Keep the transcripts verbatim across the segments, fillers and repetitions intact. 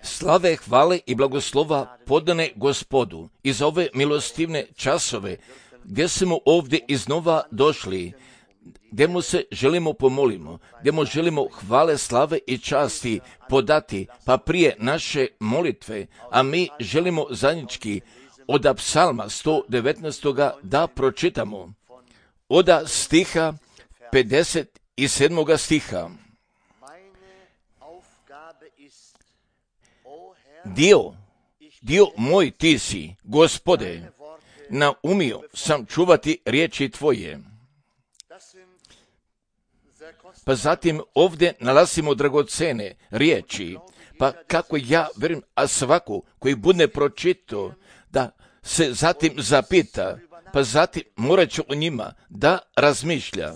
Slave, hvale i blagoslova podane Gospodu i za ove milostivne časove gdje smo ovdje iznova došli, gdje mu se želimo pomolimo, gdje mu želimo hvale, slave i časti podati, pa prije naše molitve, a mi želimo zajednički od psalma sto devetnaest da pročitamo, od stiha pedeset sedam stiha. Dio, dio moj ti si, Gospode, naumio sam čuvati riječi tvoje. Pa zatim ovdje nalazimo dragocene riječi, pa kako ja vjerujem, a svako koji bude pročitao, da se zatim zapita, pa zatim morat će o njima da razmišlja.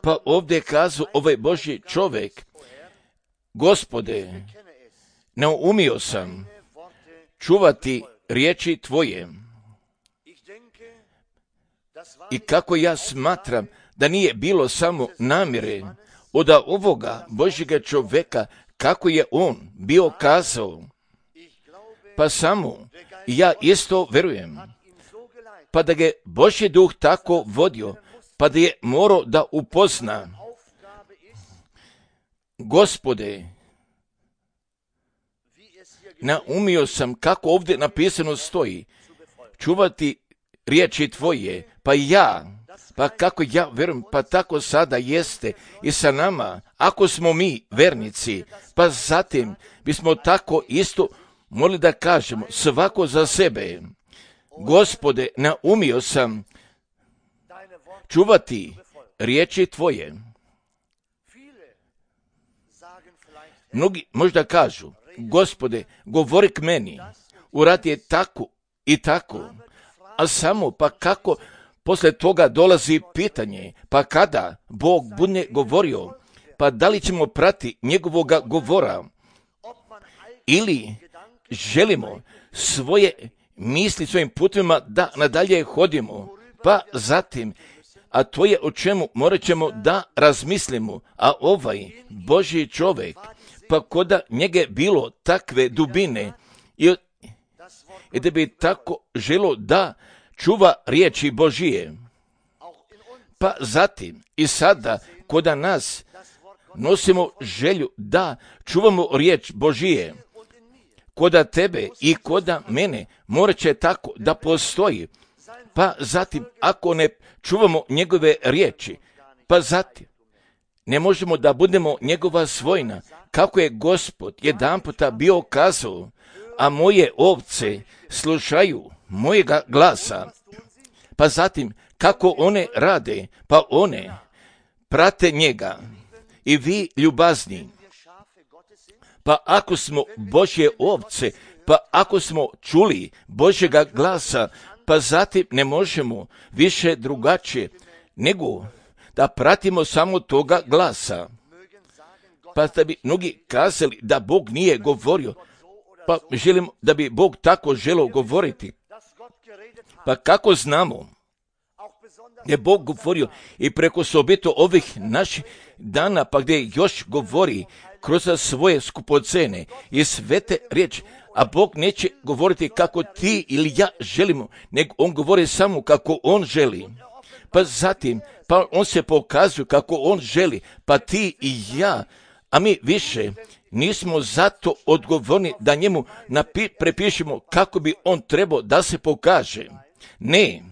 Pa ovdje kazu ovaj Božji čovjek, Gospode, naumio sam čuvati riječi tvoje. I kako ja smatram da nije bilo samo namjere od ovoga Božjega čovjeka, kako je on bio kazao, pa samo ja isto vjerujem, pa da ga Božji duh tako vodio, pa da je morao da upozna, Gospode, naumio sam, kako ovdje napisano stoji, čuvati riječi tvoje, pa ja, pa kako ja vjerujem, pa tako sada jeste i sa nama, ako smo mi vernici, pa zatim bismo tako isto mogli da kažemo, svako za sebe, Gospode, naumio sam čuvati riječi tvoje. Mnogi možda kažu, Gospode, govori k meni, uradi je tako i tako, a samo pa kako poslije toga dolazi pitanje, pa kada Bog bude govorio, pa da li ćemo prati njegovoga govora, ili želimo svoje misli svojim putovima da nadalje hodimo, pa zatim, a to je o čemu morat ćemo da razmislimo, a ovaj Božji čovjek, pa koda njega bilo takve dubine i, i da bi tako želo da čuva riječi Božije. Pa zatim i sada koda nas nosimo želju da čuvamo riječ Božije, koda tebe i koda mene morat će tako da postoji. Pa zatim ako ne čuvamo njegove riječi, pa zatim ne možemo da budemo njegova svojina, kako je Gospod jedanputa bio kazao, a moje ovce slušaju mojega glasa. Pa zatim kako one rade, pa one prate njega. I vi ljubazni, pa ako smo Božje ovce, pa ako smo čuli Božjega glasa, pa zatim ne možemo više drugačije nego da pratimo samo toga glasa. Pa da bi mnogi kazali da Bog nije govorio, pa želim da bi Bog tako želio govoriti. Pa kako znamo je Bog govorio i preko sobito ovih naših dana, pa gdje još govori kroz svoje skupocene i svete riječi, a Bog neće govoriti kako ti ili ja želimo, nego on govori samo kako on želi. Pa zatim, pa on se pokazuje kako on želi, pa ti i ja, a mi više nismo zato odgovorni da njemu napi- prepišemo kako bi on trebao da se pokaže. Ne,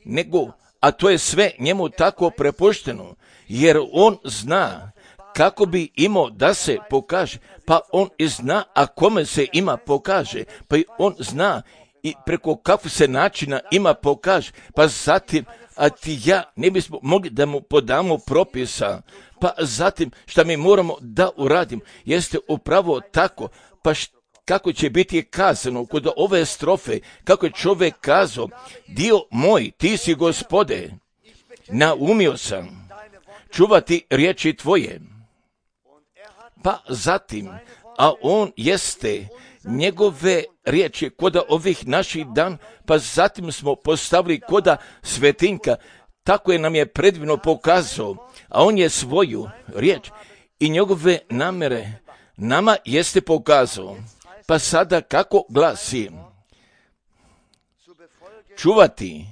nego, a to je sve njemu tako prepušteno, jer on zna kako bi imao da se pokaže, pa on i zna, a kome se ima pokaže, pa i on zna i preko kakvog se načina ima pokaže, pa zatim, a ti ja ne bismo mogli da mu podamo propisa, pa zatim šta mi moramo da uradimo, jeste upravo tako, pa št, kako će biti kazano kod ove strofe, kako je čovjek kazao, dio moj, ti si Gospode, naumio sam čuvati riječi tvoje. Pa zatim, a on jeste njegove riječi koda ovih naših dan, pa zatim smo postavili koda svetinka, tako je nam je predivno pokazao, a on je svoju riječ i njegove namere, nama jeste pokazao. Pa sada kako glasi? Čuvati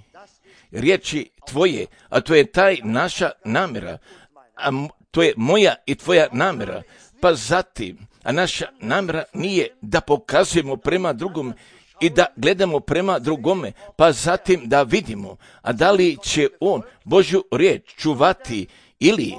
riječi tvoje, a to je taj naša namjera, a to je moja i tvoja namjera. Pa zatim, a naša namjera nije da pokazujemo prema drugom i da gledamo prema drugome, pa zatim da vidimo, a da li će on Božju riječ čuvati ili,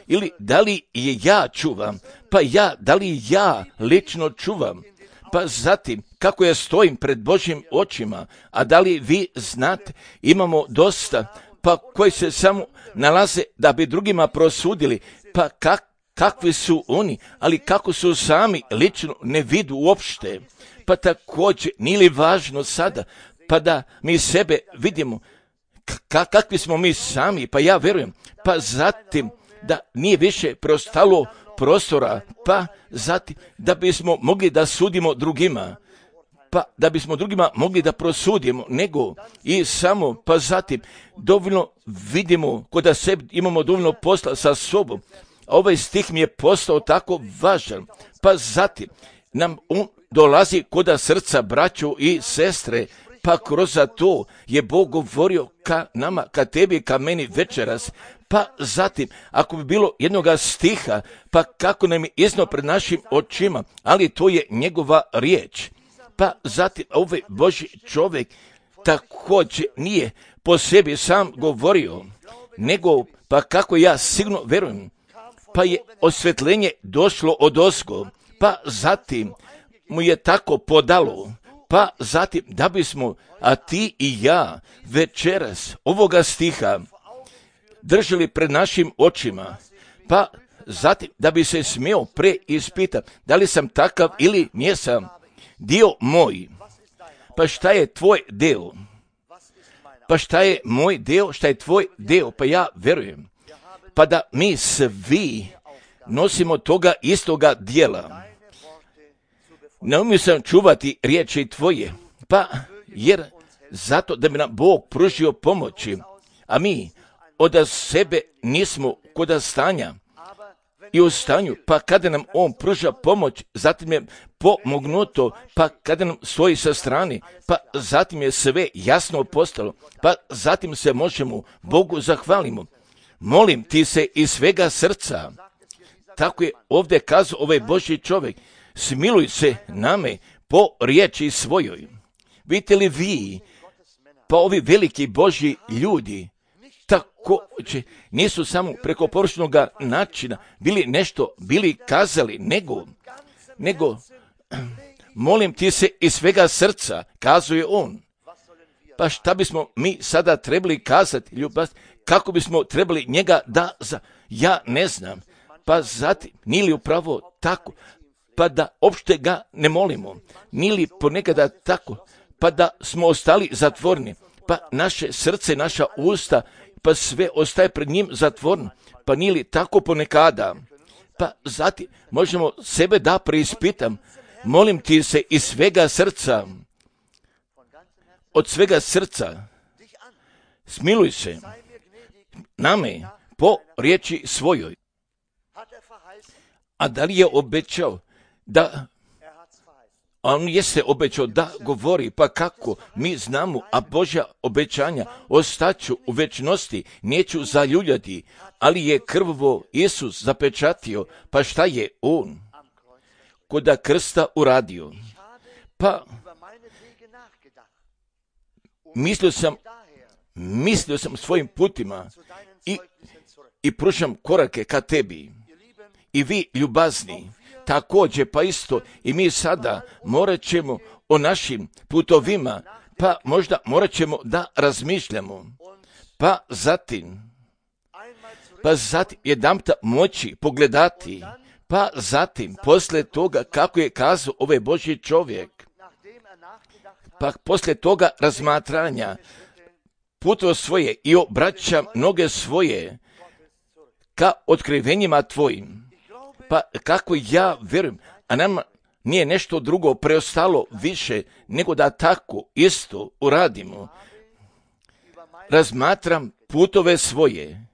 ili da li je ja čuvam, pa ja, da li ja lično čuvam, pa zatim kako ja stojim pred Božjim očima, a da li vi znate, imamo dosta, pa koji se samo nalaze da bi drugima prosudili, pa kak, kakvi su oni, ali kako su sami lično ne vidu uopšte. Pa također, nije li važno sada, pa da mi sebe vidimo, k- kakvi smo mi sami, pa ja vjerujem, pa zatim da nije više preostalo prostora, pa zatim da bismo mogli da sudimo drugima, pa da bismo drugima mogli da prosudimo, nego i samo, pa zatim dovoljno vidimo, kod da sebi imamo dovoljno posla sa sobom. Ovaj stih mi je postao tako važan, pa zatim nam on dolazi koda srca braću i sestre, pa kroz to je Bog govorio ka nama, ka tebi, ka meni večeras. Pa zatim, ako bi bilo jednoga stiha, pa kako nam je iznio pred našim očima, ali to je njegova riječ. Pa zatim, ovaj Božji čovjek također nije po sebi sam govorio, nego, pa kako ja sigurno vjerujem, pa je osvjetljenje došlo od ozgo, pa zatim mu je tako podalo, pa zatim da bismo, a ti i ja, večeras ovoga stiha držali pred našim očima, pa zatim da bi se smio preispitati da li sam takav ili nisam. Dio moj, pa šta je tvoj deo? Pa šta je moj deo, šta je tvoj deo? Pa ja vjerujem, pa da mi svi nosimo toga istoga dijela. Ne umio sam čuvati riječi tvoje, pa jer zato da bi nam Bog pružio pomoći, a mi od sebe nismo kod stanja i u stanju, pa kada nam on pruža pomoć, zatim je pomognuto, pa kada nam stoji sa strane, pa zatim je sve jasno postalo, pa zatim se možemo Bogu zahvalimo. Molim ti se iz svega srca, tako je ovdje kazao ovaj Božji čovjek, smiluj se name po riječi svojoj. Vidite li vi, pa ovi veliki Božji ljudi, također nisu samo preko površnog načina bili nešto, bili kazali, nego, nego, molim ti se iz svega srca, kazuje on. Pa šta bismo mi sada trebali kazati, ljubav, kako bismo trebali njega da, za, ja ne znam, pa zatim, nije li upravo tako, pa da opšte ga ne molimo, nije li ponekada tako, pa da smo ostali zatvorni, pa naše srce, naša usta, pa sve ostaje pred njim zatvorno, pa nije li tako ponekada, pa zatim možemo sebe da preispitam, molim ti se iz svega srca, od svega srca, smiluj se name po riječi svojoj. A da li je obećao da, on jeste obećao da govori, pa kako mi znamo, a Božja obećanja ostaću u večnosti, neću zaljuljati, ali je krvovo Isus zapečatio, pa šta je on koda krsta uradio? Pa mislio sam, mislio sam svojim putima i, i pružam korake ka tebi. I vi ljubazni, također pa isto i mi sada morat ćemo o našim putovima, pa možda morat ćemo da razmišljamo. Pa zatim, pa zatim jedanputa moći pogledati, pa zatim poslije toga kako je kazao ovaj Božji čovjek, pa poslije toga razmatranja puto svoje i obraća noge svoje ka otkrivenjima tvojim. Pa kako ja vjerujem, a nama nije nešto drugo preostalo više nego da tako isto uradimo. Razmatram putove svoje.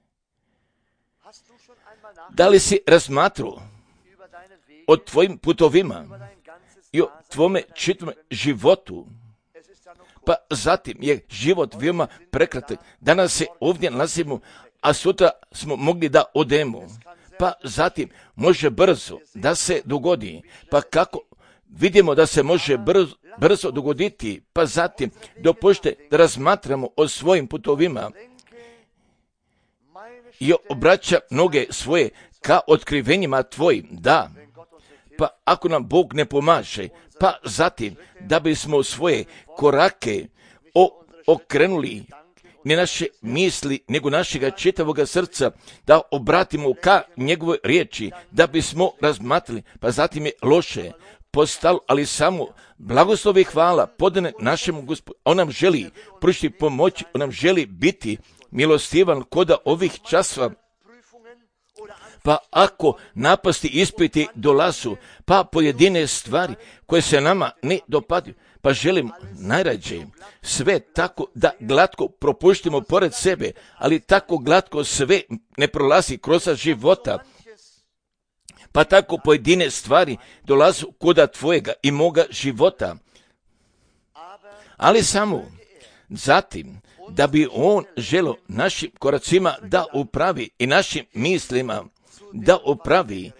Da li si razmatrao o tvojim putovima i o tvome čitavom životu. Pa zatim je život veoma prekratak. Danas se ovdje nalazimo, a sutra smo mogli da odemo. Pa zatim može brzo da se dogodi. Pa kako vidimo da se može brzo, brzo dogoditi, pa zatim dopušte da razmatramo o svojim putovima i obraća noge svoje ka otkrivenjima tvojim. Da, pa ako nam Bog ne pomaže, pa zatim da bismo svoje korake o, okrenuli ne naše misli, nego našega čitavoga srca, da obratimo ka njegovoj riječi, da bismo razmatrali, pa zatim je loše postalo, ali samo blagoslovi hvala podane našemu Gospodu. On nam želi pružiti pomoć, on nam želi biti milostivan koda ovih časova. Pa ako napasti ispiti dolazu, pa pojedine stvari koje se nama ne dopadaju, pa želim najrađe sve tako da glatko propuštimo pored sebe, ali tako glatko sve ne prolazi kroz života, pa tako pojedine stvari dolazu koda tvojega i moga života. Ali samo zatim da bi on želo našim koracima da upravi i našim mislima da upravi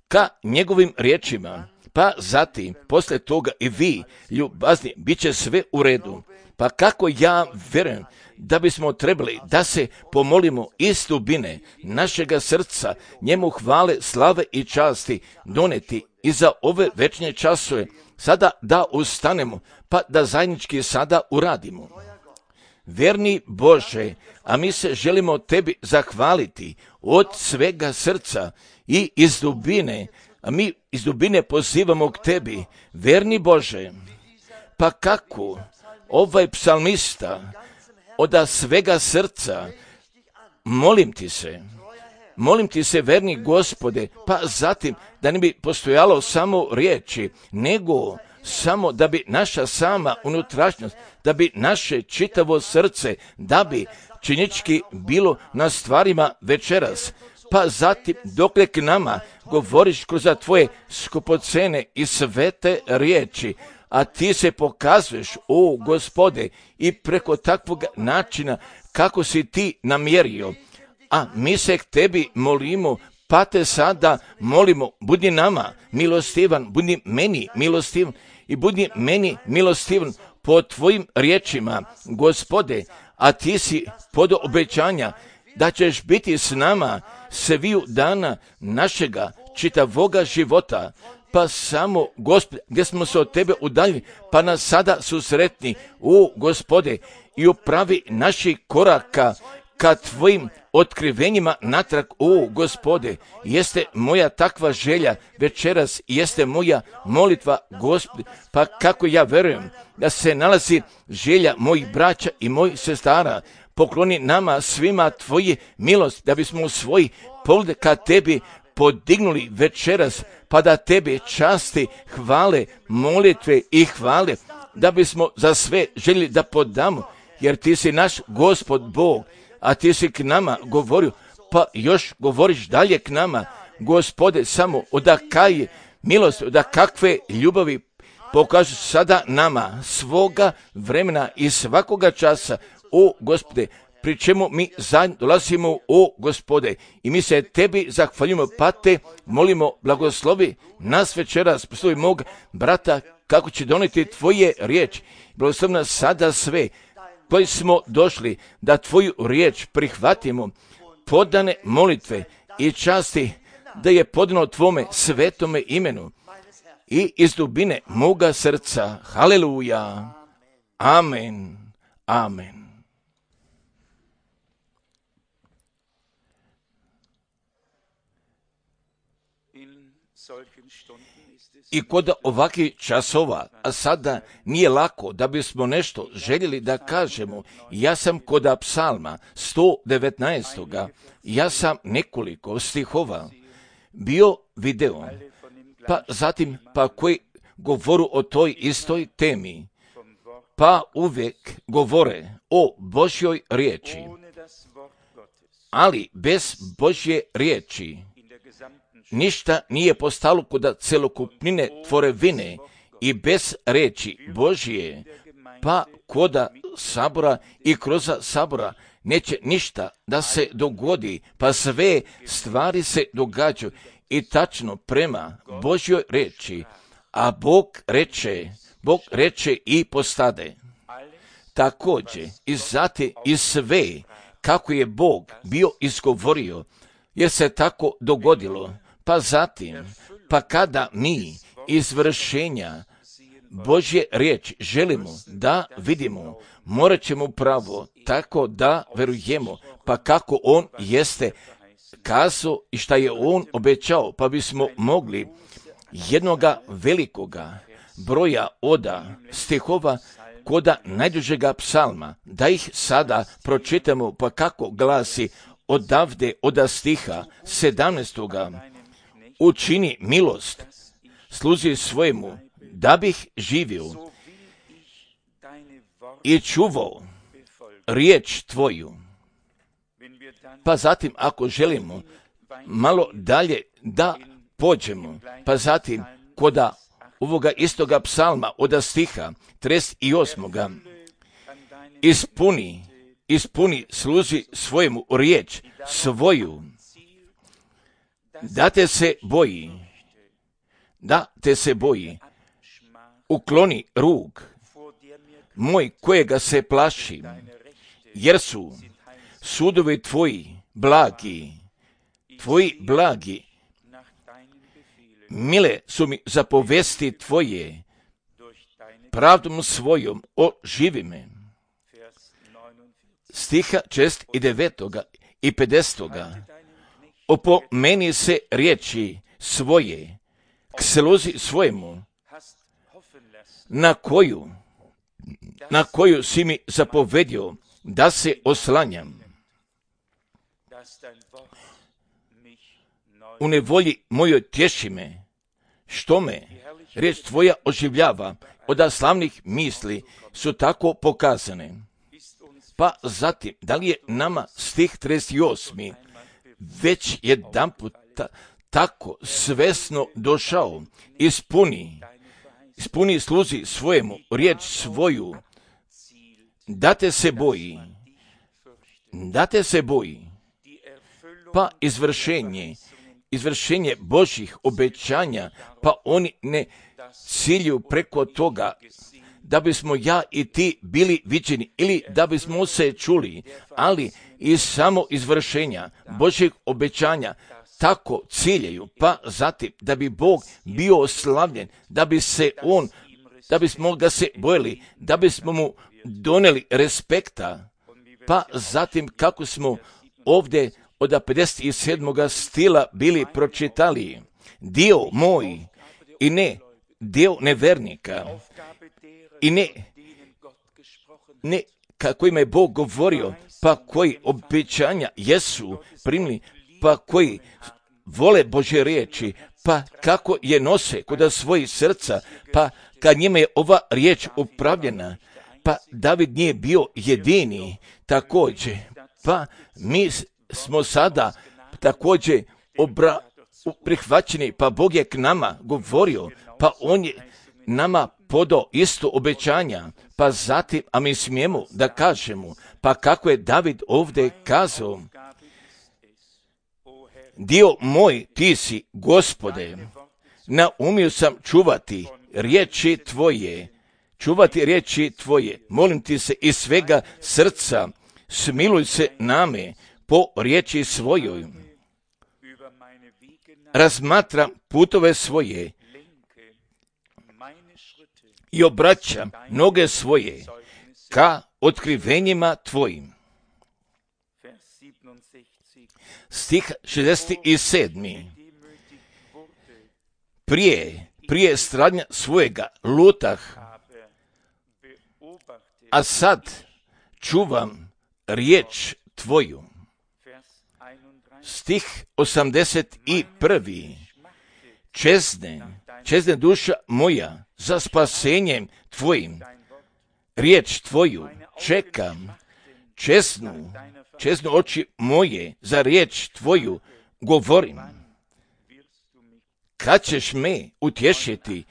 ka njegovim riječima, pa zatim posle toga i vi, ljubazni, bit će sve u redu. Pa kako ja vjerujem da bismo trebali da se pomolimo iz dubine našega srca, njemu hvale, slave i časti doneti i za ove večne časove, sada da ustanemo, pa da zajednički sada uradimo. Vjerni Bože, a mi se želimo tebi zahvaliti od svega srca i iz dubine, a mi iz dubine pozivamo k tebi, vjerni Bože, pa kako ovaj psalmista od svega srca, molim ti se, molim ti se, verni Gospode, pa zatim da ne bi postojalo samo riječi, nego samo da bi naša sama unutrašnjost, da bi naše čitavo srce, da bi činički bilo na stvarima večeras, pa zatim dokle k nama govoriš kroz tvoje skupocene i svete riječi, a ti se pokazuješ, o Gospode, i preko takvog načina kako si ti namjerio, a mi se k tebi molimo, pa te sada molimo, budi nama milostivan, budi meni milostivan i budi meni milostivan po tvojim riječima, Gospode, a ti si pod obećanja da ćeš biti s nama sviju dana našega čitavoga života, pa samo, Gospode, gdje smo se od tebe udaljili, pa nas sada susretni, o Gospode, i upravi naših koraka ka tvojim otkrivenjima natrag, o Gospode, jeste moja takva želja večeras, jeste moja molitva, Gospode, pa kako ja verujem da se nalazi želja mojih braća i mojih sestara, pokloni nama svima tvoje milost, da bismo u svoj pogled ka tebi podignuli večeras, pa da tebe časti, hvale, molitve i hvale, da bismo za sve željeli da podamo, jer ti si naš Gospod Bog, a ti si k nama govorio, pa još govoriš dalje k nama, Gospode, samo odakaj milost, da kakve ljubavi pokažu sada nama svoga vremena i svakoga časa, o Gospode, pri čemu mi zajedno dolazimo, o Gospode, i mi se tebi zahvaljujemo, pa te molimo, blagoslovi nas večeras, poslovi mog brata, kako će doneti tvoje riječi, blagoslovi nas sada sve, koji smo došli da tvoju riječ prihvatimo, podane molitve i časti, da je podano tvome svetome imenu i iz dubine moga srca. Haleluja. Amen. Amen. I kod ovakvih časova, a sada nije lako da bismo nešto željeli da kažemo. Ja sam kod psalma sto devetnaest. Ja sam nekoliko stihova bio video, pa zatim pa koji govoru o toj istoj temi, pa uvijek govore o Božjoj riječi. Ali bez Božje riječi ništa nije postalo kod celokupnine tvorevine i bez reči Božije, pa koda sabora i kroz sabora neće ništa da se dogodi, pa sve stvari se događaju i tačno prema Božjoj reči, a Bog reče, Bog reče i postade. Također i zate i sve kako je Bog bio izgovorio, jer se tako dogodilo, pa zatim, pa kada mi izvršenja Božje riječi želimo da vidimo, morat ćemo pravo tako da verujemo, pa kako On jeste kazao i šta je On obećao, pa bismo mogli jednoga velikoga broja oda stihova koda najdužega psalma, da ih sada pročitamo, pa kako glasi odavde oda stiha sedamnaestoga učini milost sluzi svojemu, da bih živio i čuvao riječ tvoju. Pa zatim, ako želimo malo dalje da pođemo, pa zatim koda ovoga istoga psalma od stiha trideset osmoga ispuni, ispuni sluzi svojemu riječ svoju, da te se boji, da te se boji, ukloni rug moj kojega se plaši, jer su sudovi tvoji blagi, tvoji blagi, mile su mi zapovesti tvoje, pravdom svojom oživi me. Stiha čest i devetoga i pedesetoga opomeni se riječi svoje, k sluzi svojemu, na koju, na koju si mi zapovedio da se oslanjam. U nevolji mojoj tješi me, što me riječ tvoja oživljava, od slavnih misli su tako pokazane. Pa zatim, da li je nama stih trideset osmi već jedan puta tako svesno došao, ispuni, ispuni sluzi svojemu riječ svoju, da te se boji, da te se boji, pa izvršenje, izvršenje Božjih obećanja, pa oni ne cilju preko toga da bismo ja i ti bili viđeni ili da bismo se čuli, ali i samo izvršenja Božjih obećanja tako ciljaju, pa zatim da bi Bog bio oslavljen, da bi se on, da bismo ga se bojili, da bismo mu doneli respekta, pa zatim kako smo ovdje od pedeset sedmoga stila bili pročitali, dio moj i ne dio nevernika i ne, ne kako ima je Bog govorio, pa koji obećanja jesu primili, pa koji vole Božje riječi, pa kako je nose kod svojih srca, pa kad njima je ova riječ upravljena, pa David nije bio jedini također, pa mi smo sada također obra, prihvaćeni, pa Bog je k nama govorio, pa on je nama podao isto obećanja, pa zatim, a mi smijemo da kažemo, pa kako je David ovdje kazao, dio moj ti si, Gospode, naumio sam čuvati riječi tvoje, čuvati riječi tvoje, molim ti se iz svega srca, smiluj se name po riječi svojoj. Razmatram putove svoje i obraćam noge svoje ka otkrivenjima tvojim. Stih šezdeset sedmi Prije, prije stradnja svojega lutah, a sad čuvam riječ tvoju. Stih osamdeset prvi Čezne, čezne duša moja za spasenjem tvojim, riječ tvoju čekam, čeznu, čeznu oči moje za riječ tvoju govorim. kad ćeš me utješiti?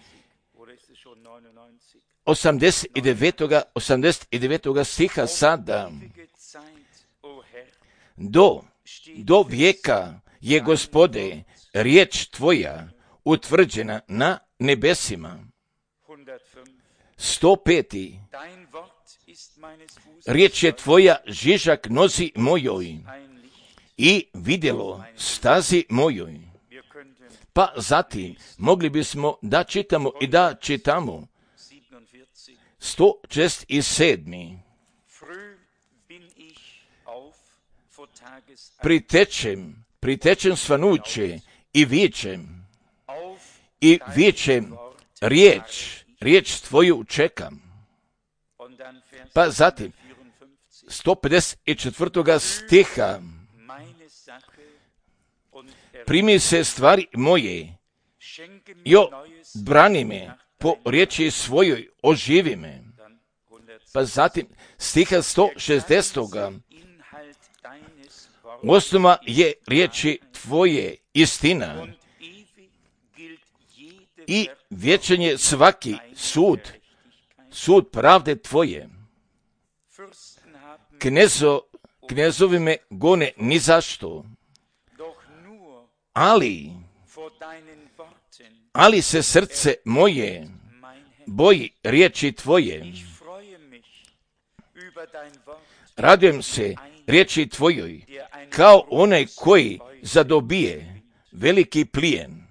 osamdeset devetog stiha sada. Do, do vijeka je, Gospode, riječ tvoja utvrđena na nebesima. sto pet. Riječ je tvoja žižak nozi mojoj i vidjelo stazi mojoj. Pa zatim mogli bismo da čitamo i da čitamo sto šezdeset sedam. Pritečem, pritečem svanuće i vičem, i vičem riječ, riječ tvoju čekam. Pa zatim, sto pedeset četvrtog stiha, primi se stvari moje, jo, brani me, po riječi svojoj oživi me. Pa zatim, stiha sto šezdeset. Osnova je riječi tvoje istina i vječan je svaki sud, sud pravde tvoje. Knezo, knezovi me gone ni zašto, ali, ali se srce moje boji riječi tvoje. Radujem se riječi tvojoj, kao onaj koji zadobije veliki plijen.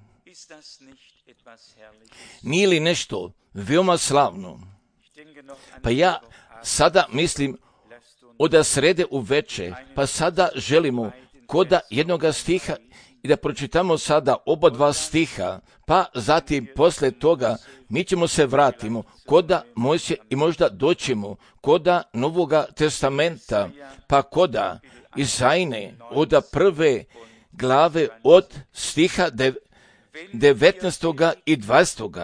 Nije li nešto veoma slavno? Pa ja sada mislim od srede u veče, pa sada želimo koda jednoga stiha i da pročitamo sada oba dva stiha, pa zatim posle toga mi ćemo se vratimo koda Mojsije i možda doćemo koda Novoga testamenta, pa koda Izajne od prve glave od stiha devetnaestog i dvadesetog.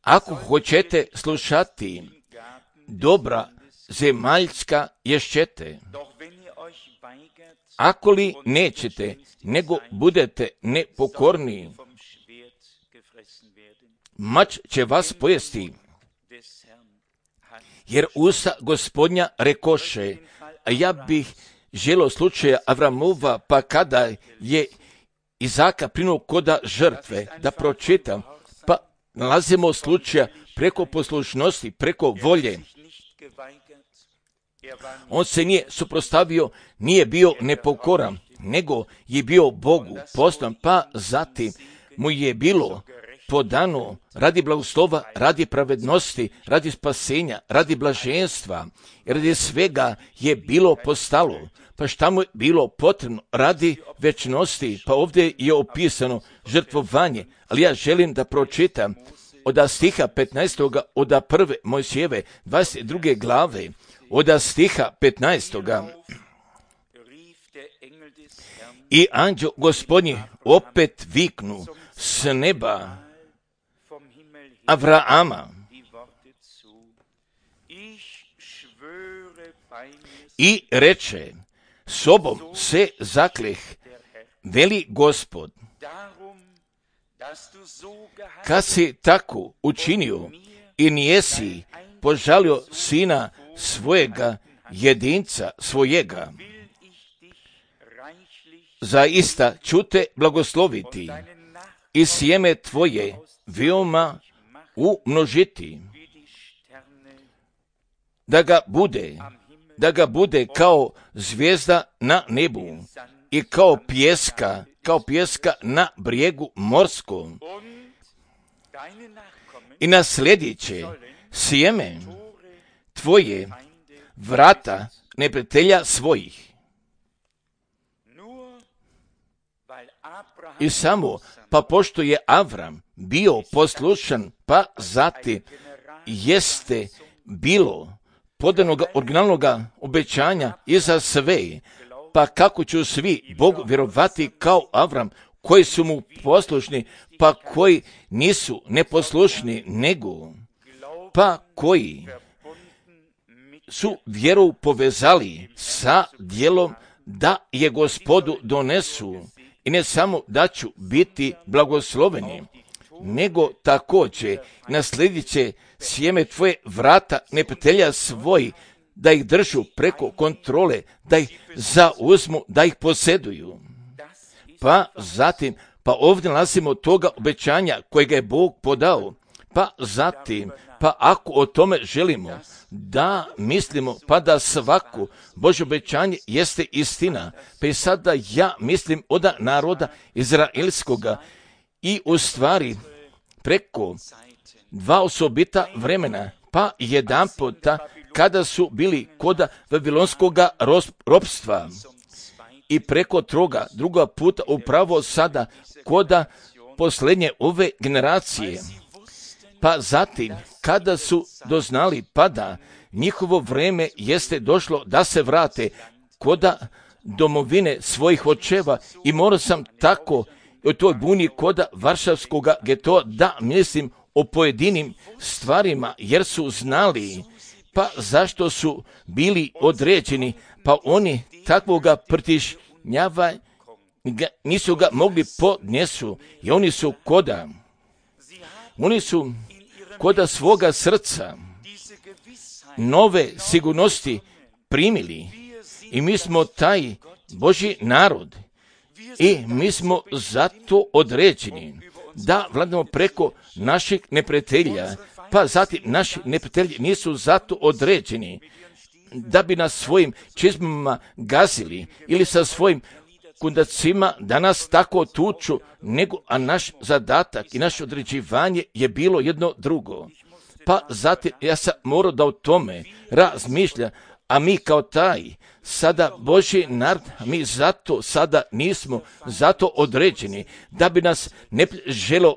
Ako hoćete slušati dobra zemaljska ješćete, ako li nećete, nego budete nepokorni, mač će vas pojesti. Jer usta Gospodnja rekoše, a ja bih želio slučaja Avramova, pa kada je Izaka prinuo koda žrtve, da pročitam, pa nalazimo slučaja preko poslušnosti, preko volje. On se nije suprotstavio, nije bio nepokoran, nego je bio Bogu poslan, pa zatim mu je bilo podano radi blagoslova, radi pravednosti, radi spasenja, radi blaženstva, radi svega je bilo postalo. Pa šta mu je bilo potrebno radi večnosti? Pa ovdje je opisano žrtvovanje, ali ja želim da pročitam od stiha petnaestog od prve Mojsijeve dvadeset druge glave, od stiha petnaestog. I anđeo Gospodnji opet viknu s neba Avrama i reče, sobom se zakleh, veli Gospod, kad si tako učinio i nijesi požalio sina svojega, jedinca svojega, zaista ću te blagosloviti i sjeme tvoje veoma umnožiti, da ga bude, da ga bude kao zvijezda na nebu i kao pjeska, kao pjeska na brijegu morskom. I naslijedit će sjeme tvoje vrata neprijatelja svojih. I samo, pa pošto je Avram bio poslušan, pa zatim jeste bilo podanog originalnog obećanja i za sve, pa kako ću svi Bogu vjerovati kao Avram, koji su mu poslušni, pa koji nisu neposlušni, nego pa koji su vjeru povezali sa djelom da je Gospodu donesu i ne samo da ću biti blagosloveni, nego također naslijedit će sjeme tvoje vrata neprijatelja svoji, da ih držu preko kontrole, da ih zauzmu, da ih posjeduju. Pa zatim, pa ovdje nalazimo toga obećanja kojega je Bog podao. Pa zatim, pa ako o tome želimo da mislimo, pa da svako Božje obećanje jeste istina, pa i sada ja mislim od naroda izraelskoga i u stvari preko dva osobita vremena, pa jedan puta kada su bili kod Vavilonskoga ropstva i preko toga druga puta upravo sada kod posljednje ove generacije. Pa zatim, kada su doznali pa da njihovo vrijeme jeste došlo da se vrate kod domovine svojih očeva, i morao sam tako u toj buni kod Varšavskog getoa da mislim o pojedinim stvarima, jer su znali pa zašto su bili određeni, pa oni takvoga pritišnjava nisu ga mogli podnesu, i oni su koda oni su koda svoga srca nove sigurnosti primili, i mi smo taj Božji narod i mi smo zato određeni da vladamo preko naših neprijatelja. Pa zatim naši neprijatelji nisu zato određeni da bi nas svojim čizmama gazili ili sa svojim kundacima da nas tako tuču, nego a naš zadatak i naše određivanje je bilo jedno drugo. Pa zatim ja sam morao da o tome razmišljam, a mi kao taj sada Božji narod, mi zato sada nismo zato određeni da bi nas ne želo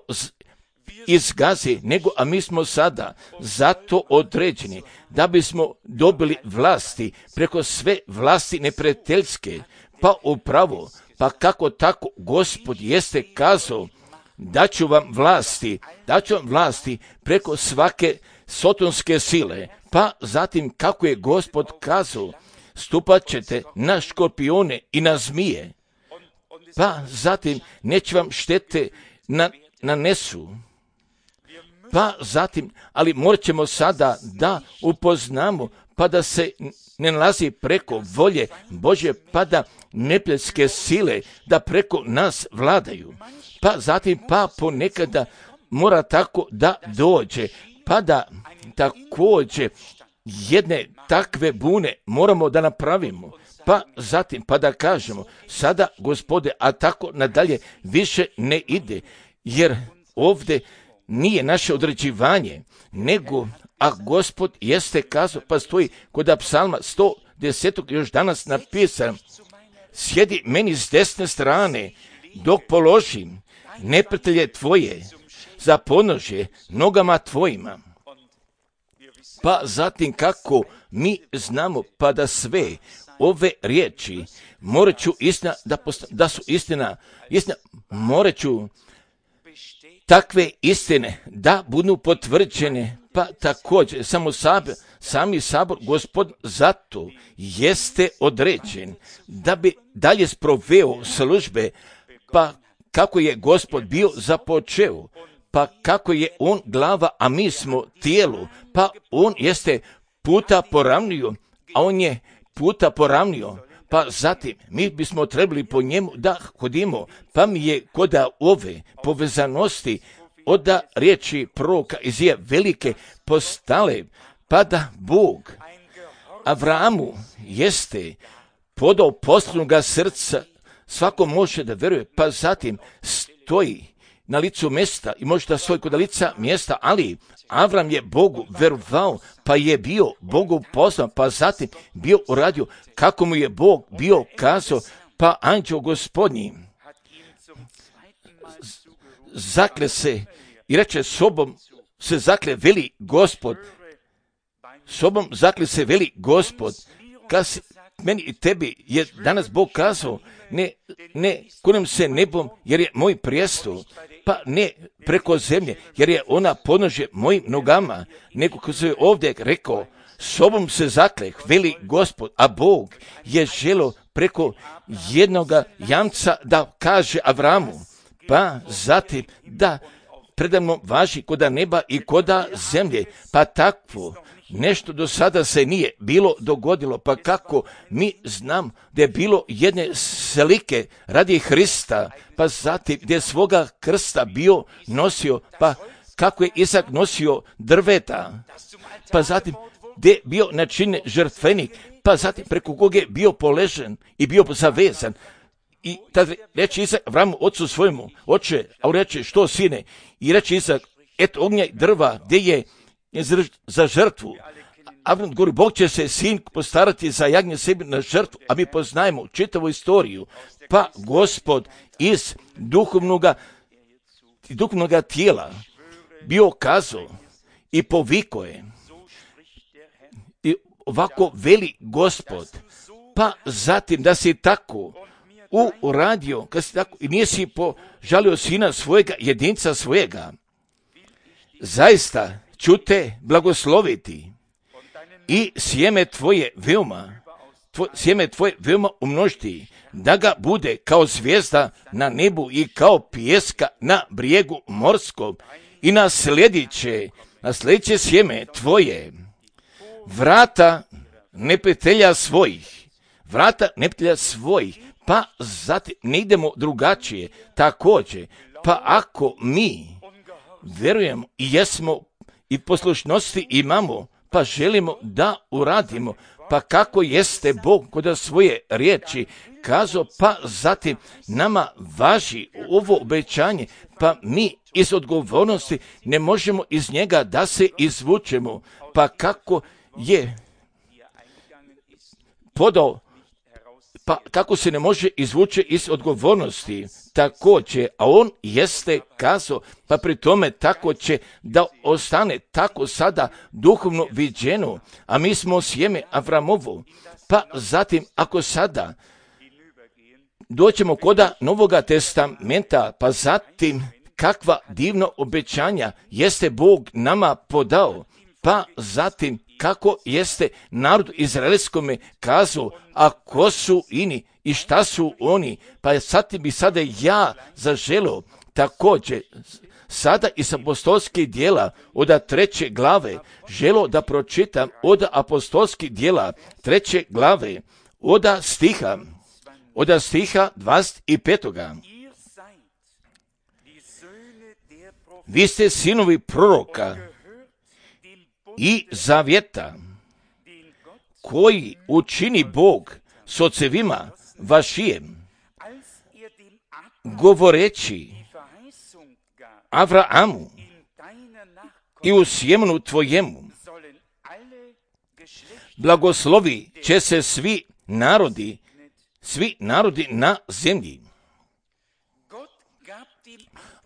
izgazi, nego a mi smo sada zato određeni da bismo dobili vlasti preko sve vlasti neprijateljske. Pa upravo, pa kako tako Gospod jeste kazao, daću vam vlasti, daću vam vlasti preko svake sotonske sile. Pa zatim kako je Gospod kazao, stupat ćete na škorpione i na zmije. Pa zatim neće vam štete na, nanesu. Pa zatim, ali morat ćemo sada da upoznamo, pa da se ne nalazi preko volje Božje, pa da neprijateljske sile da preko nas vladaju. Pa zatim, pa ponekada mora tako da dođe, pa da također jedne takve bune moramo da napravimo. Pa zatim, pa da kažemo, sada Gospode, a tako nadalje više ne ide, jer ovdje nije naše određivanje, nego, a Gospod jeste kazao, pa stoji kod psalma sto deset još danas napisan, sjedi meni s desne strane, dok položim neprijatelje tvoje za podnožje nogama tvojima. Pa zatim kako mi znamo, pa da sve ove riječi moraću istina, da, posta, da su istina, istina moraću takve istine da budu potvrđene, pa također samo sabor, sami sabor Gospod zato jeste određen da bi dalje sproveo službe, pa kako je Gospod bio započeo, pa kako je on glava, a mi smo tijelo, pa on jeste puta poravnio, a on je puta poravnio, pa zatim mi bismo trebali po njemu da hodimo, pa mi je kod ove povezanosti od riječi proroka Izije velike postale, pa da Bog Avramu jeste podao poslovnoga srca, svako može da veruje, pa zatim stoji na licu mjesta i može da stoji kod lica mjesta, ali Avram je Bogu verovao, pa je bio Bogu poslan, pa zatim bio uradio kako mu je Bog bio kazao, pa anđeo Gospodnji zakle se i reče sobom se zakle veli Gospod, sobom zakle se veli Gospod, kad si, meni i tebi je danas Bog kazao, ne, ne kunem se nebom jer je moj prijestol, pa ne preko zemlje jer je ona podnožje mojim nogama, nego ko se ovdje rekao, sobom se zakleh, veli Gospod, a Bog je želo preko jednoga jamca da kaže Avramu, pa zatim da predavno važi koda neba i koda zemlje, pa takvo nešto do sada se nije bilo dogodilo, pa kako mi znam da je bilo jedne slike radi Hrista, pa zatim gdje svoga krsta bio nosio, pa kako je Isak nosio drveta, pa zatim gdje je bio načinjen žrtvenik, pa zatim preko koga je bio poležen i bio zavezan. I tad reče Isak Avramu, ocu svojemu, oče, a on reče, što sine? I reče Isak, et ognja i drva, gdje je za žrtvu. Avram govori, Bog će se sin postarati za jagnje sebi na žrtvu, a mi poznajemo čitavu istoriju. Pa Gospod iz duhovnoga, duhovnoga tijela bio kazao i poviko je. I ovako veli Gospod, pa zatim da si tako uradio, kad si tako, i nije si požalio sina svojega, jedinca svojega, zaista ću te blagosloviti i sjeme tvoje veoma, tvoj, sjeme tvoje veoma umnožiti, da ga bude kao zvijezda na nebu i kao pijeska na brijegu morskom, i na sljedeće, na sljedeće sjeme tvoje, vrata neprijatelja svojih, vrata neprijatelja svojih, pa zatim ne idemo drugačije, također, pa ako mi vjerujemo i jesmo i poslušnosti imamo, pa želimo da uradimo, pa kako jeste Bog kod svoje riječi kazao, pa zatim nama važi ovo obećanje, pa mi iz odgovornosti ne možemo iz njega da se izvučemo, pa kako je podao, pa kako se ne može izvući iz odgovornosti, također, a on jeste kazao, pa pri tome tako će da ostane tako sada duhovno viđeno, a mi smo sjeme Avramovo, pa zatim ako sada doćemo koda Novoga testamenta, pa zatim kakva divna obećanja jeste Bog nama podao, pa zatim kako jeste narod izraelskome kazao, a ko su ini i šta su oni, pa sad bi sada ja zaželio također sada iz apostolskih dijela od treće glave želo da pročitam od apostolskih dijela treće glave od stiha od stiha dvadeset pet. Vi ste sinovi proroka i zavjeta koji učini Bog s ocevima vašijem, govoreći Avraamu i u sjemenu tvojemu, blagoslovi će se svi narodi, svi narodi na zemlji.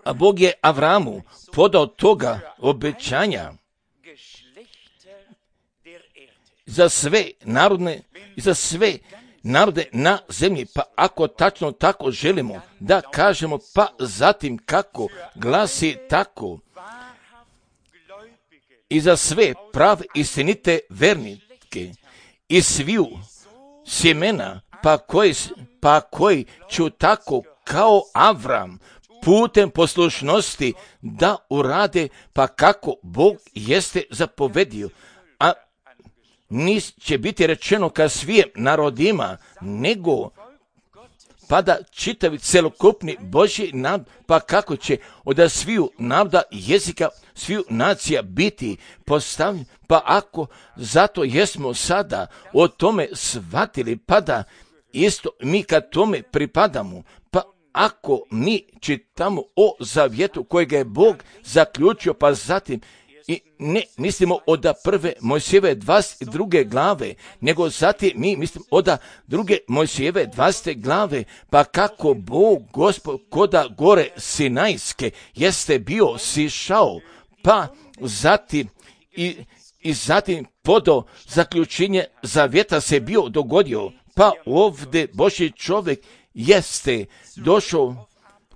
A Bog je Avraamu podao toga obećanja za sve narodne i za sve narode na zemlji, pa ako tačno tako želimo da kažemo, pa zatim kako glasi tako i za sve prave istinite vernike i sviju sjemena, pa koji, pa koji ću tako kao Avram putem poslušnosti da urade, pa kako Bog jeste zapovedio, a nis će biti rečeno ka svijem narodima, nego pa da čitavi celokupni Božji narod, pa kako će od sviju naroda, jezika, sviju nacija biti postavljeni, pa ako zato jesmo sada o tome shvatili, pa da isto mi kad tome pripadamo, pa ako mi čitamo o zavjetu kojega je Bog zaključio, pa zatim i ne mislimo od prve Mojsijeve dvadeset druge glave, nego zatim mi mislimo od druge Mojsijeve dvadesete glave, pa kako Bog Gospod koda gore Sinajske jeste bio sišao, pa zatim i, i zatim podo zaključenje zavjeta se bio dogodio, pa ovdje Božji čovjek jeste došao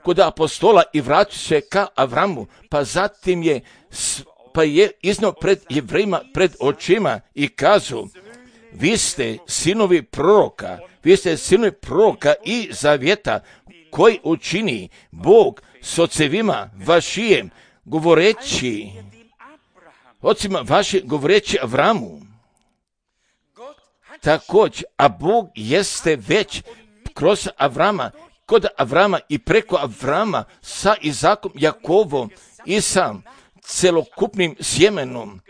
kod apostola i vratio se ka Avramu, pa zatim je pa je iznio pred Jevrejima, pred očima i kazao, vi ste sinovi proroka, vi ste sinovi proroka i zavjeta koji učini Bog s ocevima vašijem, govoreći, ocima vašim, govoreći Avramu. Također, a Bog jeste već kroz Avrama, kod Avrama i preko Avrama sa Izakom, Jakovom i sam celokupnim sjemenom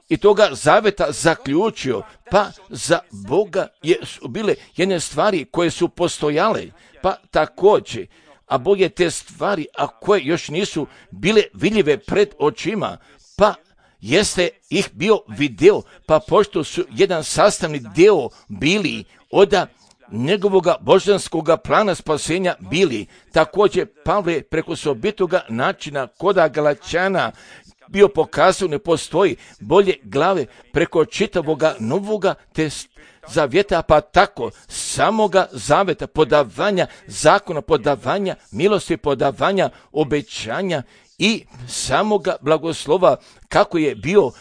i toga zaveta zaključio, pa za Boga je, su bile jedne stvari koje su postojale, pa također, a Bog je te stvari, a koje još nisu bile vidljive pred očima, pa jeste ih bio video, pa pošto su jedan sastavni dio bili od njegovoga božanskoga plana spasenja bili, također Pavle preko osobitoga načina koda Galačana bio pokazao ne postoji bolje glave preko čitavoga novoga test zavjeta, pa tako samoga zaveta, podavanja zakona, podavanja milosti, podavanja obećanja i samoga blagoslova kako je bio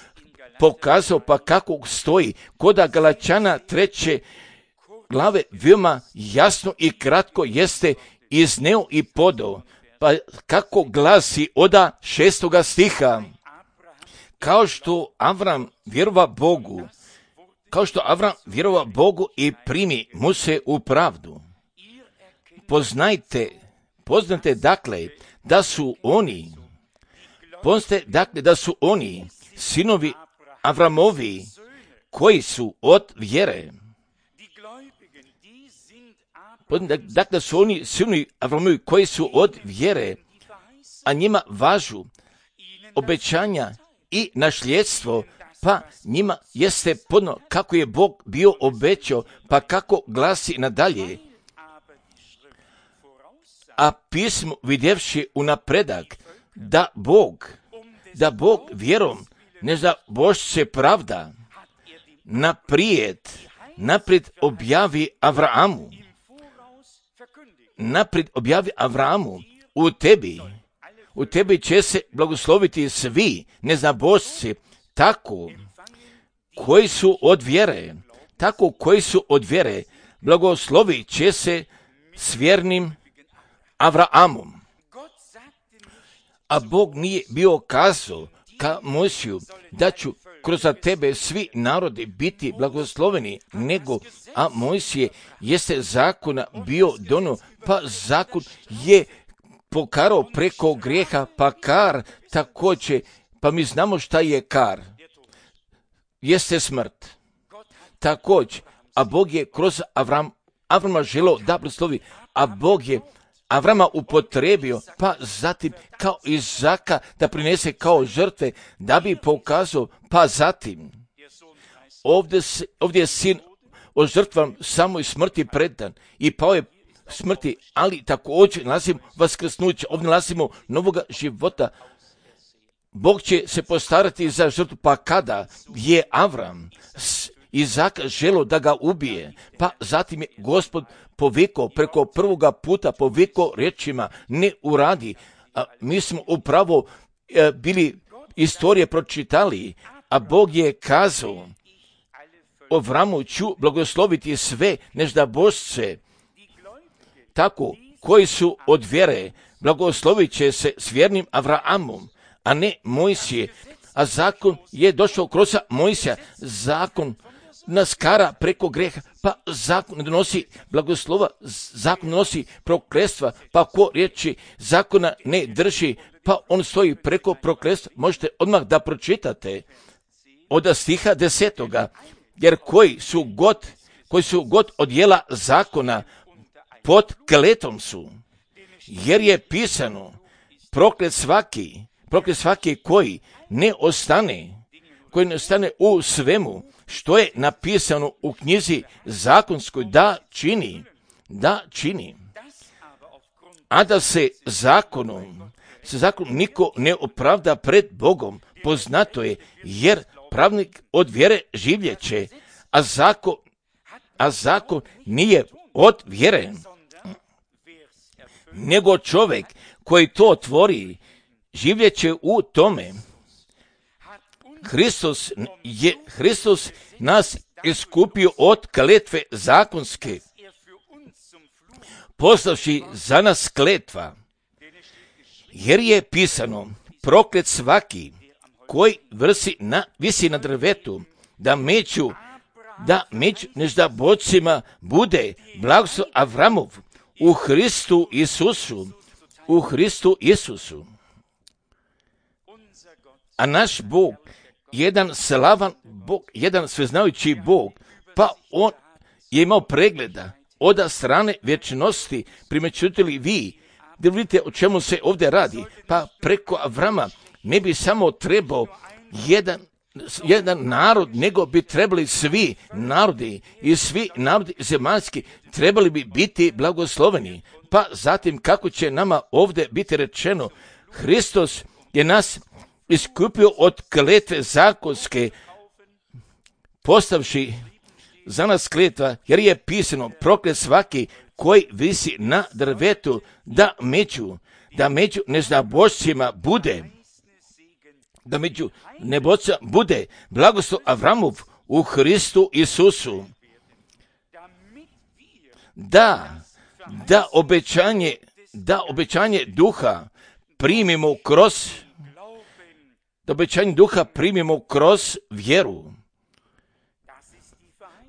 pokazao, pa kako stoji koda Galačana treće glave veoma jasno i kratko jeste izneo i podao, pa kako glasi oda šestoga stiha, kao što Avram vjerova Bogu, kao što Avram vjerova Bogu i primi mu se u pravdu. Poznajte, poznate dakle da su oni, poznate dakle da su oni sinovi Avramovi koji su od vjere. Dakle, su oni sinovi Avramovi koji su od vjere, a njima važu obećanja i nasljedstvo, pa njima jeste podno kako je Bog bio obećao, pa kako glasi nadalje. A pismo vidjevši u napredak da Bog, da Bog vjerom ne za Bož se pravda, naprijed, naprijed objavi Avramu, naprijed objavi Avramu, u tebi, u tebi će se blagosloviti svi neznabošci, tako koji su od vjere, tako koji su od vjere, blagoslovit će se s vjernim Avraamom. A Bog nije bio kazao ka Mojsiju da ću kroz tebe svi narodi biti blagosloveni, nego, a Mojsije jeste zakona bio donio, pa zakon je pokarao preko grijeha, pa kar također, pa mi znamo šta je kar, jeste smrt. Također, a Bog je kroz Avram, Avrama želeo da blagoslovi, a Bog je Avrama upotrebio, pa zatim kao Izaka da prinese kao žrtve, da bi pokazao, pa zatim ovdje, se, ovdje je sin o žrtvam samoj smrti predan i pao je smrti, ali također nalazimo vaskrsnuće, ovdje nalazimo novoga života. Bog će se postarati za žrtvu, pa kada je Avram Izaka želio da ga ubije, pa zatim je Gospod poviko preko prvoga puta poviko riječima ne uradi. A mi smo upravo e, bili istorije pročitali, a Bog je kazao Avramu ću blagosloviti sve neždabošce, tako koji su od vjere, blagoslovit će se s vjernim Avraamom, a ne Mojsije. A zakon je došao kroz Mojsija, zakon nas kara preko greha, pa zakon ne donosi blagoslova, zakon donosi prokletstva, pa ko riječi zakona ne drži, pa on stoji preko prokletstva. Možete odmah da pročitate od stiha desetoga, jer koji su god, koji su god od dijela zakona pod kletom su, jer je pisano proklet svaki, proklet svaki koji ne ostane, koji ne ostane u svemu što je napisano u knjizi zakonskoj da čini, da čini. A da se zakonom, se zakonom niko ne opravda pred Bogom, poznato je, jer pravnik od vjere življeće, a zakon, a zakon nije od vjere, nego čovjek koji to tvori življeće u tome. Hristos je, Hristos nas iskupio od kletve zakonske, poslavši za nas kletva, jer je pisano, proklet svaki koji vrsi na, visi na drvetu, da među, da među neždabocima bude blagoslov Avramov u Hristu Isusu, u Hristu Isusu. A naš Bog, jedan slavan Bog, jedan sveznajući Bog, pa on je imao pregleda od strane vječnosti. Primećujete li vi, da vidite o čemu se ovdje radi? Pa preko Avrama ne bi samo trebao jedan, jedan narod, nego bi trebali svi narodi i svi narodi zemaljski trebali bi biti blagosloveni. Pa zatim kako će nama ovdje biti rečeno, Hristos je nas iskupio od kletve zakonske, postavši za nas kletva, jer je pisano, proklet svaki koji visi na drvetu, da među, da među neznabošcima bude, da među nebocima bude blagoslov Avramov u Hristu Isusu. Da, da obećanje, da obećanje duha primimo kroz, da obećanje duha primimo kroz vjeru.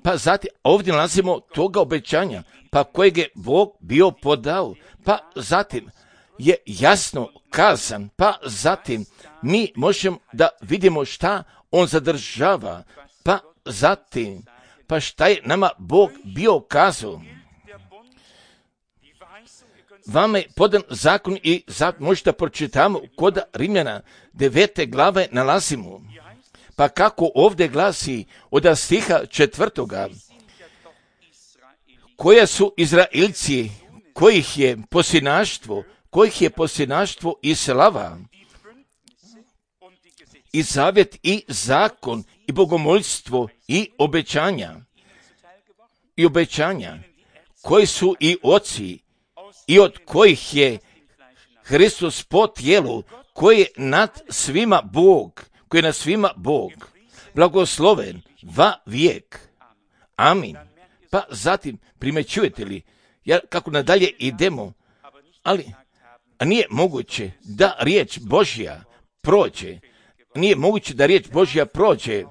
Pa zatim ovdje nalazimo toga obećanja, pa kojeg je Bog bio podao, pa zatim je jasno kazan, pa zatim mi možemo da vidimo šta on zadržava, pa zatim, pa šta je nama Bog bio kazao. Vama je podan zakon i zatim možete pročitamo kod Rimljana devete glave nalazimo. Pa kako ovdje glasi od stiha četvrtoga, koja su Izraelci, kojih je posinaštvo, kojih je posinaštvo i slava, i zavjet i zakon, i bogomoljstvo, i obećanja, i obećanja, koji su i oci, i od kojih je Hristos po tijelu, koji je nad svima Bog, koji je nad svima Bog, blagosloven va vijek. Amin. Pa zatim primećujete li, jer kako nadalje idemo, ali nije moguće da riječ Božja prođe, nije moguće da riječ Božja prođe,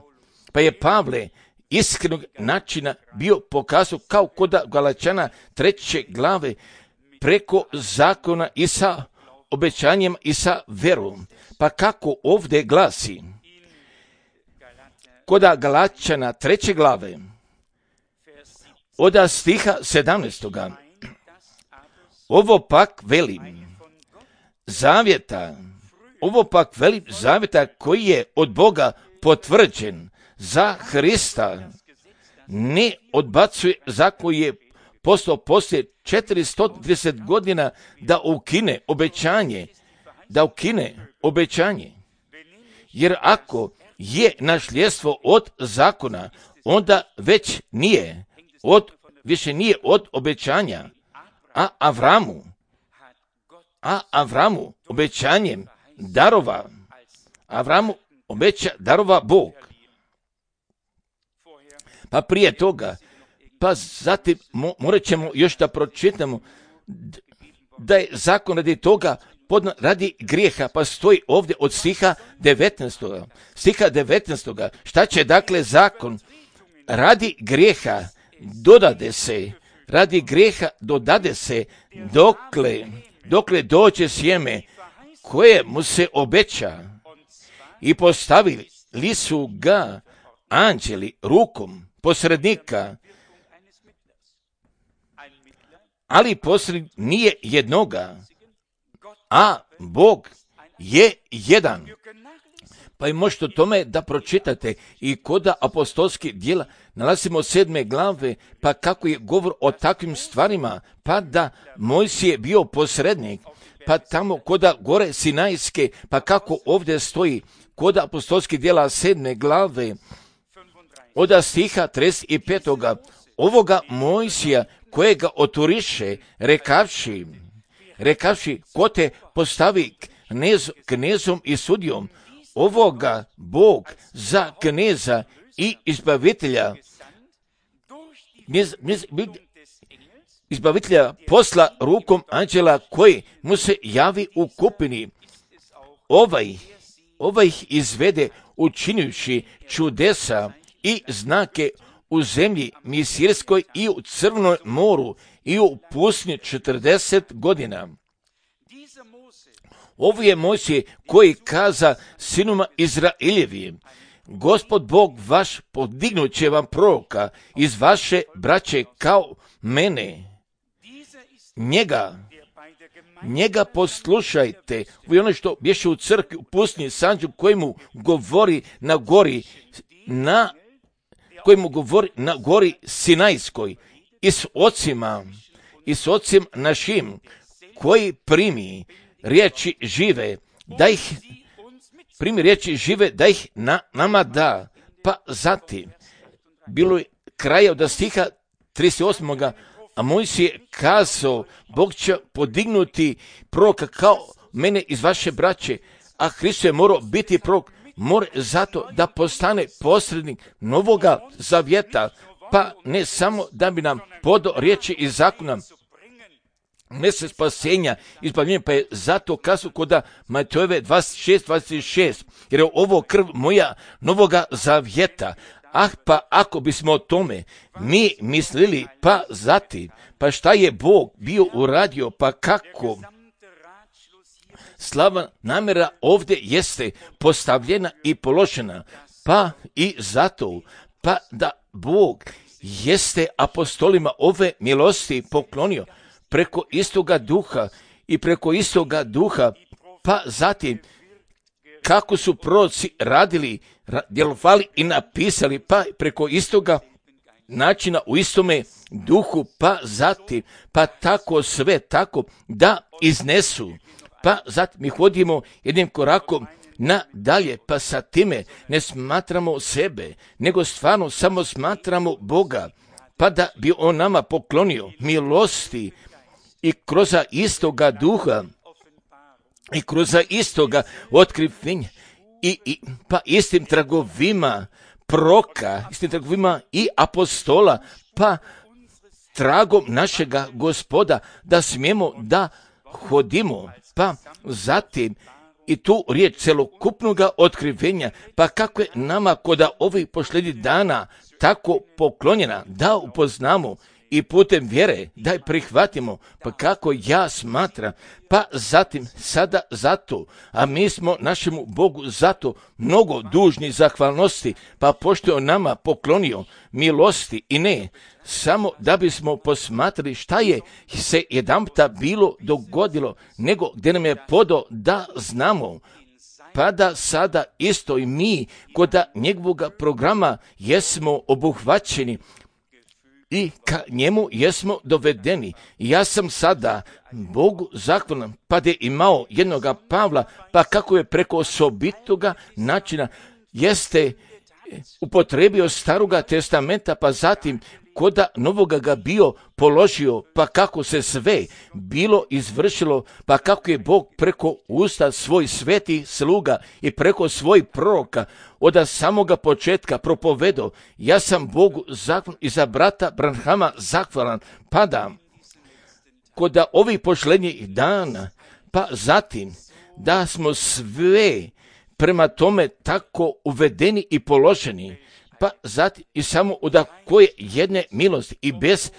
pa je Pavle iskrenog načina bio pokazao kao kod Galačana treće glave preko zakona i sa obećanjem i sa verom. Pa kako ovdje glasi, kod Galačana treće glave, od stiha sedamnaestoga, ovo pak velim, zavjeta, ovo pak velim zavjeta koji je od Boga potvrđen za Hrista, ne odbacuje za koji je postao poslije četiristo trideset godina da ukine obećanje, da ukine obećanje. Jer ako je nasljedstvo od zakona, onda već nije, od, više nije od obećanja, a Avramu, a Avramu obećanjem darova, Avramu obeća darova Bog. Pa prije toga, pa zatim morat ćemo još da pročitamo da je zakon radi toga podna, radi grijeha, pa stoji ovdje od stiha devetnaestoga. Stiha devetnaestoga. Šta će dakle zakon? Radi grijeha dodade se, radi grijeha dodade se dokle, dokle dođe sjeme koje mu se obeća i postavili su ga anđeli rukom posrednika, ali posrednik nije jednoga, a Bog je jedan. Pa i možete o tome da pročitate i kod apostolskih djela nalazimo sedme glave, pa kako je govor o takvim stvarima, pa da Mojsije je bio posrednik, pa tamo kod gore Sinajske, pa kako ovdje stoji kod apostolskih djela sedme glave, od stiha trideset petoga, ovoga Mojsija kojega oturiše, rekavši, rekavši ko te postavi knez, knezom i sudijom ovoga Bog za kneza i izbavitelja, izbavitelja posla rukom anđela koji mu se javi u kupini. Ovaj, ovaj ih izvede učinjući čudesa i znake u zemlji Misirskoj i u Crvenom moru i u pustinji četrdeset godina. Ovo je Mojsije koji kaza sinuma Izraeljevim: Gospod Bog vaš podignut će vam proroka iz vaše braće kao mene. Njega, njega poslušajte. Ovo je ono što bješe u crkvi, u pustinji Sanđu, koji mu govori na gori, na, koji mu govori na gori Sinajskoj, i s ocima, i s ocem našim, koji primi riječi žive, da ih primi riječi žive, da ih na, nama da. Pa zatim, bilo je kraja od stiha trideset osam. A Mojsije kazao: Bog će podignuti proroka kao mene iz vaše braće, a Hristos je morao biti prorok, mora zato da postane posrednik novoga zavjeta, pa ne samo da bi nam podao riječi iz zakona, ne se spasenja, izbavljenja, pa je zato kazao kod Matejove dvadeset šest dvadeset šest, jer je ovo krv moja novoga zavjeta. Ah, pa ako bismo o tome mi mislili, pa zatim, pa šta je Bog bio uradio, pa kako? Slava namjera ovdje jeste postavljena i položena, pa i zato, pa da Bog jeste apostolima ove milosti poklonio preko istoga duha i preko istoga duha, pa zatim kako su proroci radili, djelovali i napisali, pa preko istoga načina u istome duhu, pa zatim, pa tako sve tako da iznesu. Pa zatim mi hodimo jednim korakom nadalje, pa sa time ne smatramo sebe, nego stvarno samo smatramo Boga, pa da bi On nama poklonio milosti i kroz istoga duha i kroz istoga otkrivenja i, i pa istim tragovima proka, istim tragovima i apostola, pa tragom našega Gospoda da smijemo da hodimo, pa zatim i tu riječ celokupnog otkrivenja, pa kako je nama kod ovih posljednjih dana tako poklonjena, da upoznamo i putem vjere da je prihvatimo, pa kako ja smatram, pa zatim sada zato, a mi smo našemu Bogu zato mnogo dužni zahvalnosti, pa pošto je on nama poklonio milosti i ne samo da bismo posmatrali šta je se jedanputa bilo dogodilo, nego gdje nam je podao da znamo, pa da sada isto i mi kod njegovog programa jesmo obuhvaćeni i ka njemu jesmo dovedeni. Ja sam sada Bogu zahvalan, pa da je imao jednoga Pavla, pa kako je preko osobitoga načina jeste upotrebio staroga testamenta, pa zatim koda novoga ga bio položio, pa kako se sve bilo izvršilo, pa kako je Bog preko usta svoj sveti sluga i preko svoj proroka od samoga početka propovedao. Ja sam Bogu zahvalan i za brata Branhama zahvalan, pa da kod ovih posljednjih dana, pa zatim da smo sve prema tome tako uvedeni i položeni, pa zatim i samo od koje jedne milosti i bez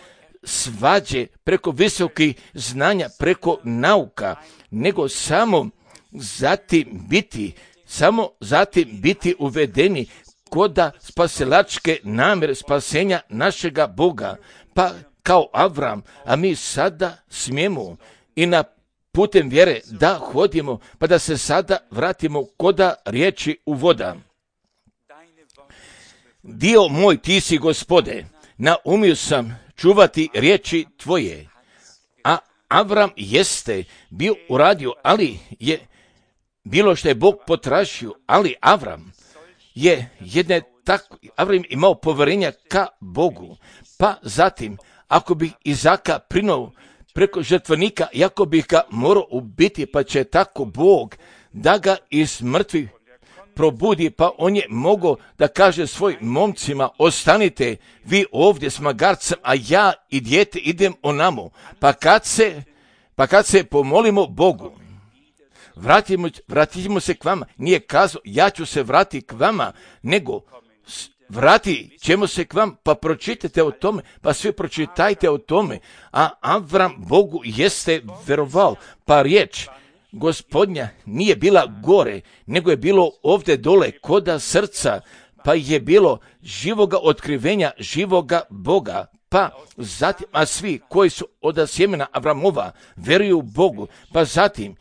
svađe, preko visokih znanja, preko nauka, nego samo zatim biti, samo zatim biti uvedeni koda spasilačke namjere spasenja našega Boga, pa kao Avram, a mi sada smijemo i na putem vjere da hodimo, pa da se sada vratimo koda riječi uvoda. Dio moj, ti si Gospode, naumio sam čuvati riječi tvoje. A Avram jeste bio uradio, ali je bilo što je Bog potražio, ali Avram je jedne tako, Avram imao povjerenja ka Bogu. Pa zatim, ako bi Izaka prinuo preko žrtvenika, jako bih ga morao ubiti, pa će tako Bog da ga iz mrtvih probudi, pa on je mogao da kaže svojim momcima, ostanite vi ovdje s magarcem, a ja i dijete idem onamo. Pa kad se, pa kad se pomolimo Bogu, vratimo, vratimo se k vama. Nije kazao, ja ću se vratiti k vama, nego vrati ćemo se k vam, pa pročitajte o tome, pa svi pročitajte o tome. A Avram Bogu jeste verovao, pa riječ Gospodnja nije bila gore, nego je bilo ovdje dole koda srca, pa je bilo živoga otkrivenja, živoga Boga. Pa zatim, a svi koji su od sjemena Avramova veruju Bogu, pa zatim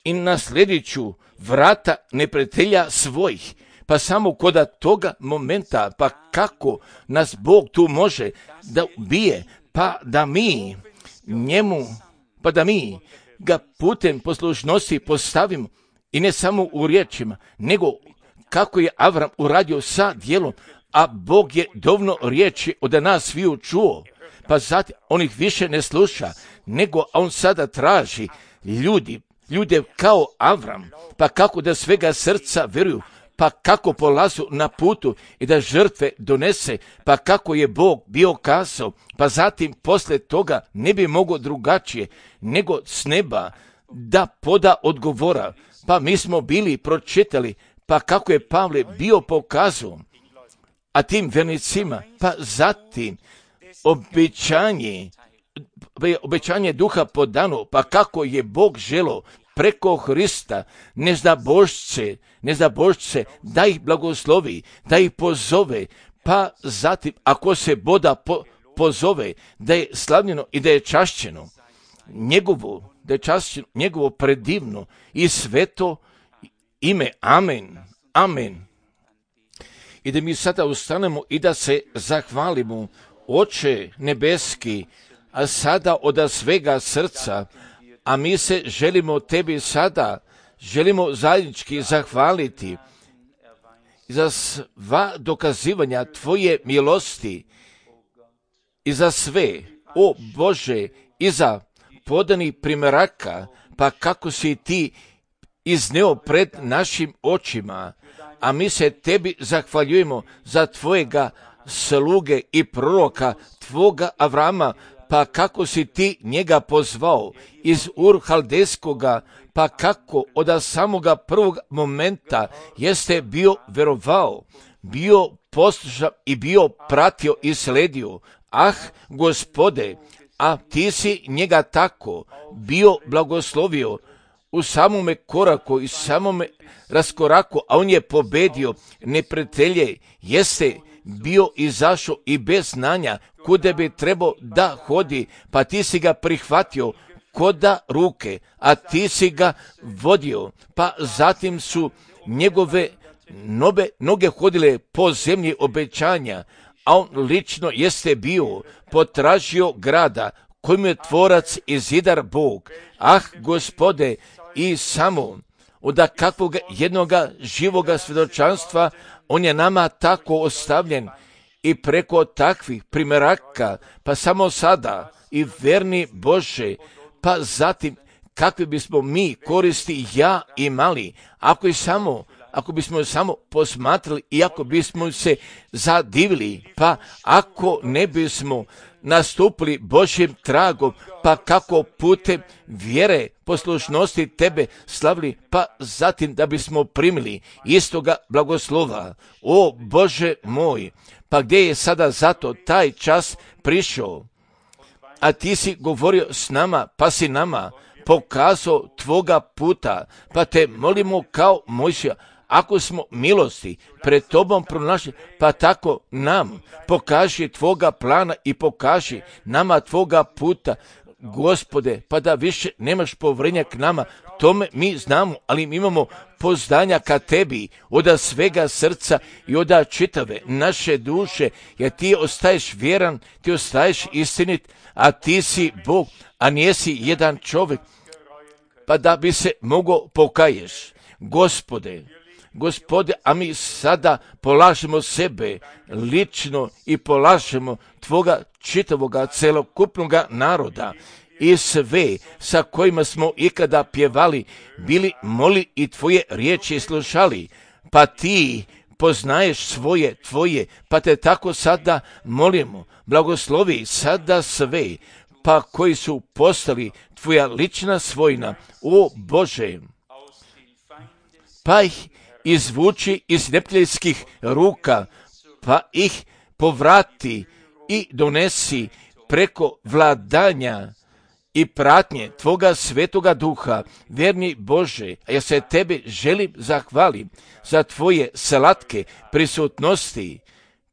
i na sljedeću vrata neprijatelja svojih. Pa samo koda toga momenta, pa kako nas Bog tu može da ubije, pa da mi njemu, pa da mi ga putem poslušnosti postavimo, i ne samo u riječima, nego kako je Avram uradio sa djelom, a Bog je dovoljno riječi od nas sviju čuo, pa zatim on ih više ne sluša, nego on sada traži ljudi, ljude kao Avram, pa kako da svega srca vjeruju, pa kako polazu na putu i da žrtve donese, pa kako je Bog bio kazao, pa zatim posle toga ne bi mogao drugačije nego s neba da poda odgovora. Pa mi smo bili pročitali, pa kako je Pavle bio pokazao, a tim vernicima, pa zatim obećanje, obećanje duha podano, pa kako je Bog želo preko Hrista, neznabošce, neznabošce, da ih blagoslovi, da ih pozove, pa zatim, ako se Boga po, pozove, da je slavljeno i da je čašćeno, njegovo, da je čašćeno, njegovo predivno i sveto ime. Amen. Amen. I da mi sada ustanemo i da se zahvalimo, Oče nebeski, a sada od svega srca, a mi se želimo tebi sada, želimo zajednički zahvaliti za sva dokazivanja tvoje milosti i za sve, o Bože, i za podani primjeraka, pa kako si ti izneo pred našim očima, a mi se tebi zahvaljujemo za tvojega sluge i proroka, tvoga Avrama, pa kako si ti njega pozvao iz Ur Haldejskoga, pa kako od samoga prvog momenta jeste bio verovao, bio poslušan i bio pratio i sledio. Ah, Gospode, a ti si njega tako bio blagoslovio u samome koraku i samome raskoraku, a on je pobedio neprijatelje, jeste bio izašao i bez znanja kude bi trebao da hodi, pa ti si ga prihvatio koda ruke, a ti si ga vodio, pa zatim su njegove nobe, noge hodile po zemlji obećanja, a on lično jeste bio potražio grada kojim je tvorac i zidar Bog. Ah, Gospode, i samo od kakvog jednoga živoga svjedočanstva on je nama tako ostavljen i preko takvih primjeraka, pa samo sada i verni Bože, pa zatim kakvi bismo mi koristi ja imali, ako i samo ako bismo samo posmatrali i ako bismo se zadivili, pa ako ne bismo nastupili Božjim tragom, pa kako putem vjere, poslušnosti tebe slavili, pa zatim da bismo primili istoga blagoslova. O Bože moj, pa gdje je sada zato taj čas prišao? A ti si govorio s nama, pa si nama pokazao tvoga puta, pa te molimo kao Mojsija, ako smo milosti pred tobom pronašli, pa tako nam pokaži tvoga plana i pokaži nama tvoga puta, Gospode, pa da više nemaš povrenja k nama, tome mi znamo, ali mi imamo poznanja ka tebi od svega srca i od čitave naše duše, jer ti ostaješ vjeran, ti ostaješ istinit, a ti si Bog, a nijesi jedan čovjek, pa da bi se mogao pokaješ. Gospode, Gospode, a mi sada polažemo sebe lično i polažemo tvoga čitavoga celokupnoga naroda i sve sa kojima smo ikada pjevali, bili moli i tvoje riječi slušali, pa ti poznaješ svoje, tvoje, pa te tako sada molimo, blagoslovi sada sve, pa koji su postali tvoja lična svojina, o Bože, pa ih izvuči iz neprijateljskih ruka, pa ih povrati i donesi preko vladanja i pratnje Tvoga svetoga duha, vjerni Bože, a ja se Tebi želim zahvalim za Tvoje slatke prisutnosti,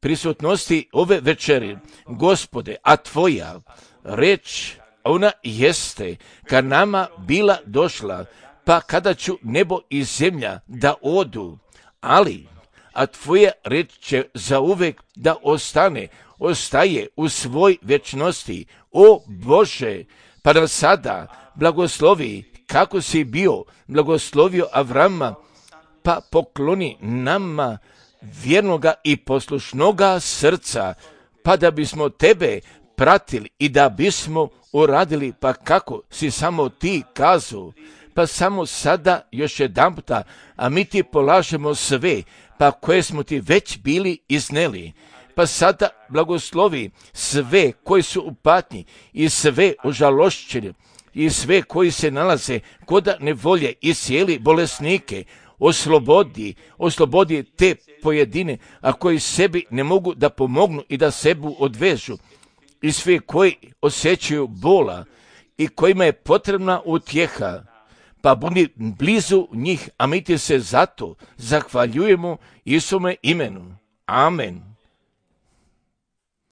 prisutnosti ove večeri, Gospode, a Tvoja reč, ona jeste ka nama bila došla, pa kada ću nebo i zemlja da odu, ali, a Tvoja reč će zauvek da ostane, ostaje u svoj večnosti, o Bože, pa nam sada blagoslovi kako si bio blagoslovio Avrama, pa pokloni nama vjernoga i poslušnoga srca, pa da bismo Tebe pratili i da bismo uradili pa kako si samo Ti kazao, pa samo sada još jedan puta, a mi Ti polažemo sve, pa koje smo Ti već bili izneli. Pa sada blagoslovi sve koji su u patnji i sve užalošćeni i sve koji se nalaze kod nevolje i cijeli bolesnike, oslobodi, oslobodi te pojedine, a koji sebi ne mogu da pomognu i da sebu odvežu, i sve koji osjećaju bola i kojima je potrebna utjeha, pa budi blizu njih, a mi Ti se zato zahvaljujemo Isume imenu. Amen.